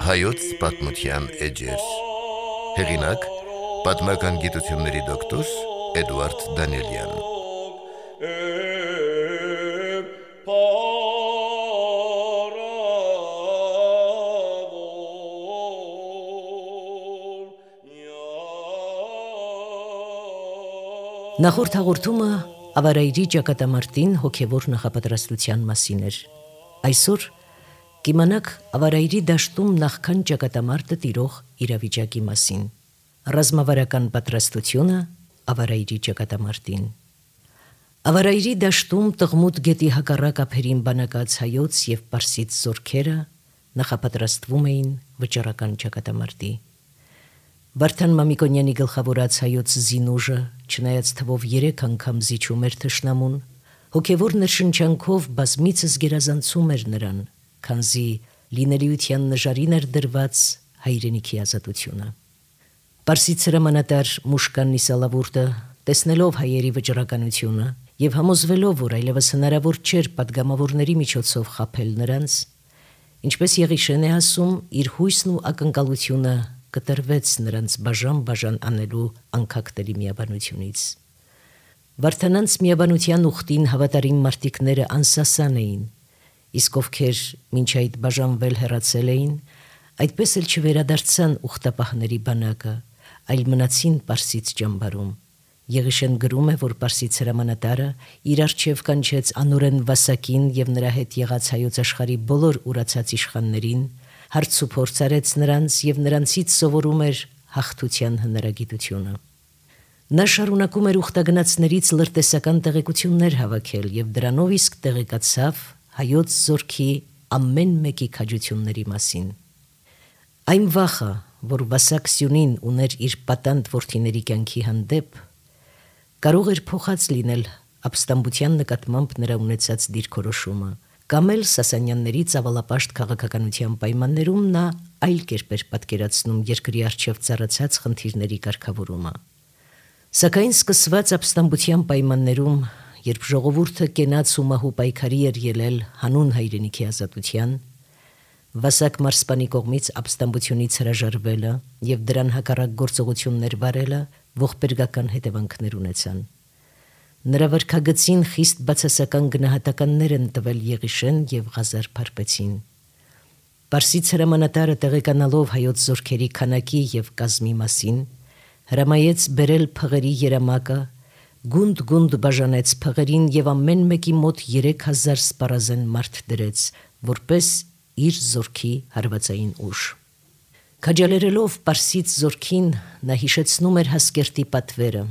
Հայոց պատմության էջեր։ Հեղինակ՝ պատմական գիտությունների դոկտոր Էդուարդ Դանիելյան։ Նախորդ հաղորդումը ավարայրի ճակատամարտին հոգևոր նախապատրաստության մասին էր։ Այսօր կիմանաք ավարայրի դաշտում նախքան ճակատամարտը տիրող իրավիճակի մասին։ Ռազմավարական պատրաստությունը ավարայրի ճակատամարտին։ Ավարայրի դաշտում Տղմուտ գետի հակառակ ափերին բանակած հայոց եւ պարսից զորքերը նախապատրաստվում էին վճռական ճակատամարտի։ Վարդան Մամիկոնյանի գլխավորած հայոց զինուժը, չնայած թվով 3 անգամ զիջում էր թշնամուն, հոգևոր ներշնչանքով բազմիցս գերազանցում էր նրան, քանզի լինելիության նժարին էր դրված հայրենիքի ազատությունը։ Պարսից հրամանատար Մուշկան Նիսալավուրտը, տեսնելով հայերի վճռականությունը եւ համոզվելով, որ այլևս հնարավոր չէր պատգամավորների միջոցով խաբել նրանց, ինչպես Եղիշեն է ասում, իր հույսն ու ակնկալությունը կտրվեց նրանց բաժան անելու անկախտելի միաբանությունից։ Վարդանանց միաբանության ուխտին հավատարիմ մարտիկները անսասան էին, իսկ ովքեր մինչ այդ բաժանվել հեռացել էին, այդպես էլ չվերադարձան ուխտապահների բանակը, այլ մնացին Պարսից ճամբարում։ Եղիշեն գրում է, որ Պարսից հրամանատարը իր առջև կանչեց անօրեն Վասակին եւ նրա հետ եղած հայոց աշխարհի բոլոր ուրացած իշխաններին, հարց ու փորձ արեց նրանց եւ նրանցից սովորում էր հաղթության հնարագիտությունը։ Նա շարունակում էր ուխտագնացներից լրտեսական տեղեկություններ հավաքել եւ դրանով իսկ տեղեկացավ հայոց զորքի ամեն մեկի քաջությունների մասին։ Այն վախը, որ Վասակ Սյունին ուներ իր պատանդ որդիների կյանքի հանդեպ, կարող էր փոխած լինել ապստամբության նկատմամբ նրա ունեցած դիրքորոշումը, կամ էլ Սասանյանների ծավալապաշտ քաղաքականության պայմաններում նա այլ կերպ էր պատկերացնում երկրի առջև ծառացած խնդիրների կարգավորումը։ Սակայն սկսված ապստամբության պայմաններում, երբ ժողովուրդը կենաց ու մահու պայքարի էր ելել հանուն հայրենիքի ազատության, Վասակ մարսպանի կողմից ապստամբությունից հրաժարվելը եւ դրան հակառակ գործողություններ վարելը ողբերգական հետևանքներ ունեցան։ Նրա վարքագծին խիստ բացասական գնահատականներ են տվել Եղիշեն եւ Ղազար Փարպեցին։ Պարսից հրամանատարը տեղեկանալով հայոց զորքերի քանակի եւ կազմի մասին, հրամայեց բերել փղերի երամակը, գունդ բաժանեց փղերին եւ ամեն մեկի մոտ 3000 սպառազեն մարդ դրեց, որպես իր զորքի հարվածային ուժ։ Քաջալերելով Պարսից զորքին, նա հիշեցնում էր Հասկերտի պատվերը,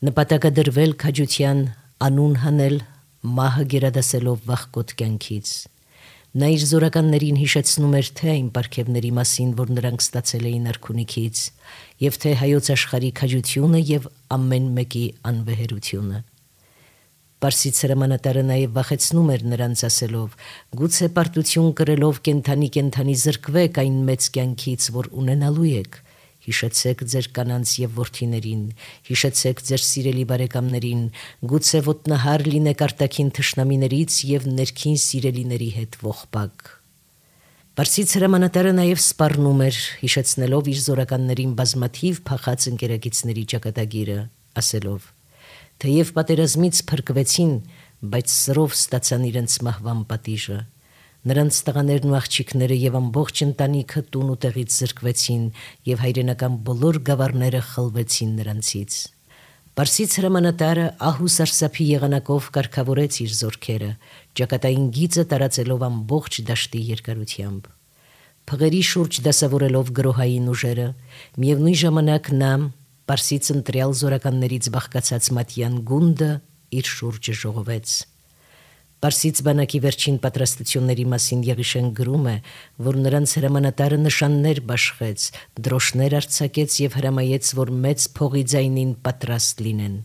նպատակադրվել քաջության անուն հանել, մահը գերադասելով վախկոտ կյանքից։ Նա իր զորականներին հիշեցնում էր թե այն պարգևների մասին, որ նրանք ստացել էին արքունիքից, եւ թե հայոց աշխարհի քաջությունը եւ ամեն մեկի անվեհերությունը։ Պարսից հրամանատարը նաև վախեցնում էր նրանց ասելով. «Գուցե պարտություն կրելով կենթանի զրկվեք այն մեծ կյանքից, որ ունենալու եք։ Հիշեցեք ձեր կանանց եւ որդիներին, հիշեցեք ձեր սիրելի բարեկամներին, գուցե ոտնահար լինեք արտաքին թշնամիներից եւ ներքին սիրելիների հետ ողբակ»։ Պարսից հրամանատարը նաև սպառնում էր, հիշեցնելով իր զորականներին բազմաթիվ փախած ընկերագիցների ճակատագիրը, ասելով. «Թեև պատերազմից փրկվեցին, բայց սրով ստացան իրենց մահվան պատիժը։ Նրանց տղաներն ու աղջիկները եւ ամբողջ ընտանիքը տուն ու տեղից զրկվեցին եւ հայրենական բոլոր գավառները խլվեցին նրանցից»։ Պարսից հրամանատարը ահ ու սարսափի եղանակով կարգավորեց իր զորքերը, ճակատային գիծը տարածելով ամբողջ դաշտի երկարությամբ։ Փղերի շուրջ դասավորելով գրոհային ուժերը, միևնույն ժամանակ նա Պարսից ընտրյալ զորականներից բաղկացած Մատյան գունդը իր շուրջը ժողովեց։ Պարսից բանակի վերջին պատրաստությունների մասին Եղիշեն գրում է, որ նրանց հրամանատարը նշաններ բաշխեց, դրոշներ արձակեց եւ հրամայեց, որ մեծ փողի ձայնին պատրաստ լինեն։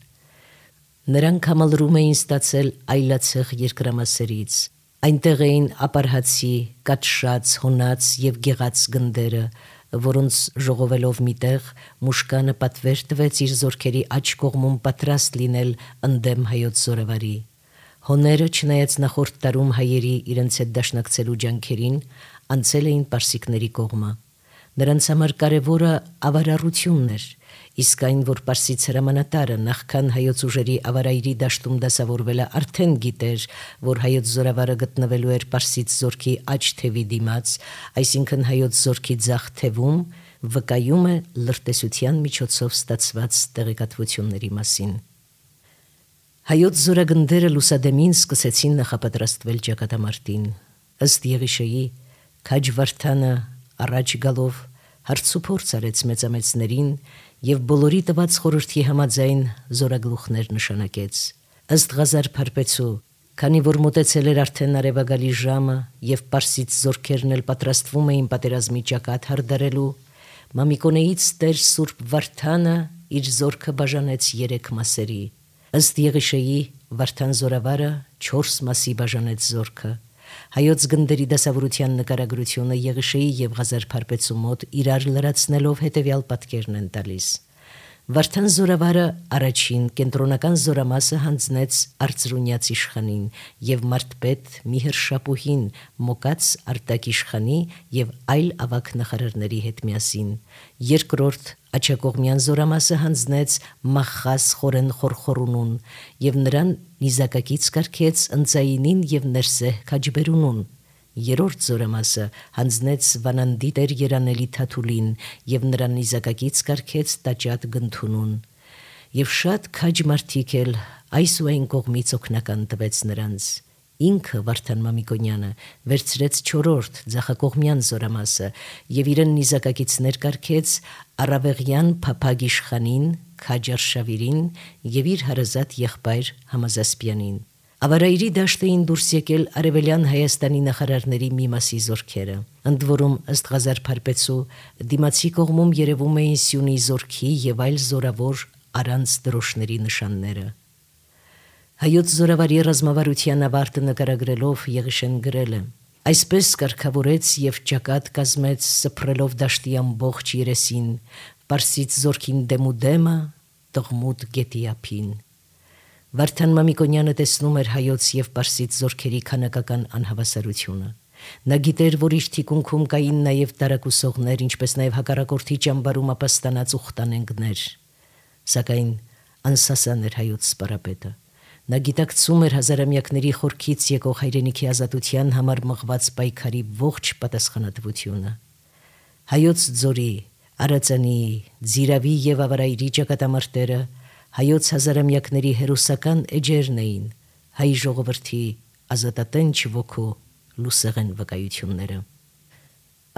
Նրանք համալրում էին ստացել այլացեղ երկրամասերից։ Այնտեղ էին ապարհացի, կատշած, հոնած եւ գեղած գնդերը, որոնց ժողովելով միտեղ Մուշկանը պատվեր տվեց իր զորքերի աջ կողմում պատրաստ լինել ընդդեմ հայոց զորավարի։ Հոները, չնայած նախորդ տարում հայերի իրենց հետ դաշնակցելու ջանքերին, անցել էին պարսիկների կողմը։ Նրանց համար կարևորը ավարառությունն էր, իսկ այն, որ Պարսից հրամանատարը նախքան հայոց ուժերի ավարայրի դաշտում դասավորվելը արդեն գիտեր, որ հայոց զորավարը գտնվելու էր Պարսից զորքի աջ թևի դիմաց, այսինքն հայոց զորքի ձախ թևում, վկայում է լրտեսության միջոցով ստացված տեղեկատվությունների մասին։ Հայոց զորագնդերը լուսադեմին սկսեցին նախապատրաստվել ճակատամարտին։ Ըստ Եղիշեի, քաջ Վարդանը առաջ գալով հարցուփորձ արեց մեծամեծներին եւ բոլորի տված խորհրդի համաձայն զորագլուխներ նշանակեց։ Ըստ Ղազար Փարպեցու, քանի որ մոտեցել էր արդեն արևագալի ժամը եւ Պարսից զորքերն էլ պատրաստվում էին պատերազմի ճակատ հարդարելու, Մամիկոնեից Տեր Սուրբ Վարդանը իր զորքը բաժանեց 3 մասերի։ Ըստ Եղիշեի, Վարդան զորավարը 4 մասի բաժանեց զորքը։ Հայոց գնդերի դասավորության նկարագրությունը Եղիշեի եւ Ղազար Փարպեցու մոտ իրար լրացնելով հետեւյալ պատկերն են տալիս։ Վարդան զորավարը առաջին կենտրոնական զորամասը հանձնեց Արծրունյաց իշխանին եւ մարդպետ Միհր Շապուհին Մոկած Արտակ իշխանի եւ այլ ավագ նախարարների հետ միասին։ Երկրորդ Աչակողմյան զորամասը հանձնեց Մախխաս Խորեն Խորխորունուն եւ նրան նիզակակից կարգեց Ընծայինին եւ Ներսեհ Քաջբերունուն։ Երրորդ զորամասը հանձնեց Վանանդի Տեր Երանելի Թաթուլին եւ նրան նիզակակից կարգեց Տաճատ Գնթունուն։ Եվ շատ քաջ մարդիկ էլ այս ու այն կողմից օգնական տվեց նրանց։ Ինքը Վարդան Մամիկոնյանը վերցրեց 4-րդ Ձախակողմյան զորամասը եւ իրեն նիզակակիցներ կարգեց Արավեղյան Փափագ իշխանին, Քաջ Արշավիրին եւ իր հարազատ եղբայր Համազասպյանին։ Ավարայրի դաշտ էին դուրս եկել Արևելյան Հայաստանի նախարարների մի մասի զորքերը։ Ընդ որում, ըստ Ղազար Փարպեցու, դիմացի կողմում երևում էին Սյունի զորքի եւ այլ զորավոր առանց դրոշների նշանները։ Հայոց զորավարի ռազմավարության ավարտը նկարագրելով Եղիշեն գրել է. Այսպես կարգավորեց եւ ճակատ կազմեց սփռելով դաշտի ամբողջ երեսին, Պարսից զորքին դեմուդեմը, տղմուտ գետի ափին։ Վարդան Մամիկոնյանը տեսնում էր հայոց եւ Պարսից զորքերի քանակական անհավասարությունը։ Նա գիտեր, որ իր թիկունքում կային նաեւ տարակուսողներ, ինչպես նաեւ հակառակորդի ճամբարում ապաստանած ուխտանենգներ։ Սակայն անսասան էր հայոց սպարապետը։ Նա գիտակցում էր հազարամյակների խորքից եկող հայրենիքի ազատության համար մղված պայքարի ողջ պատասխանատվությունը։ Հայոց ձորի, Արածանի, Ձիրավի եւ Ավարայրի ճակատամարտերը հայոց հազարամյակների հերոսական էջերն էին, հայ ժողովրդի ազատատենչ ոգու լուսեղեն վկայությունները։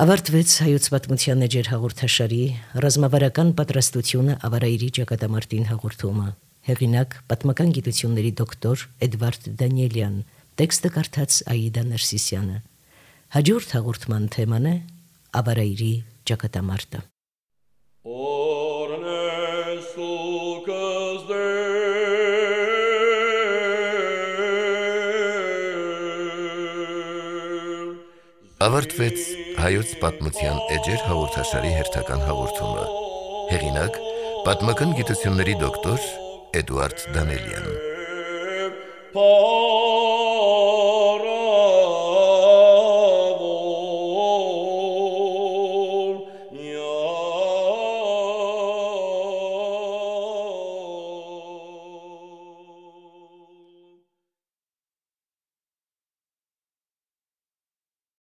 Ավարտվեց հայոց պատմության էջեր հաղորդաշարի ռազմավարական պատրաստությունը Ավարայրի ճակատամարտին հաղորդումը։ Հեղինակ պատմական գիտությունների դոկտոր Էդվարդ Դանիելյան, տեքստը կարդաց Աիդա Ներսիսյանը։ Հաջորդ հաղորդման թեման է Ավարայրի ճակատամարտը։ Ավարտվեց հայոց պատմության էջեր հաղորդաշարի հերթական հաղորդումը։ Հեղինակ պատմական գիտությունների դոկտոր Էդվարդ Դանիելյան։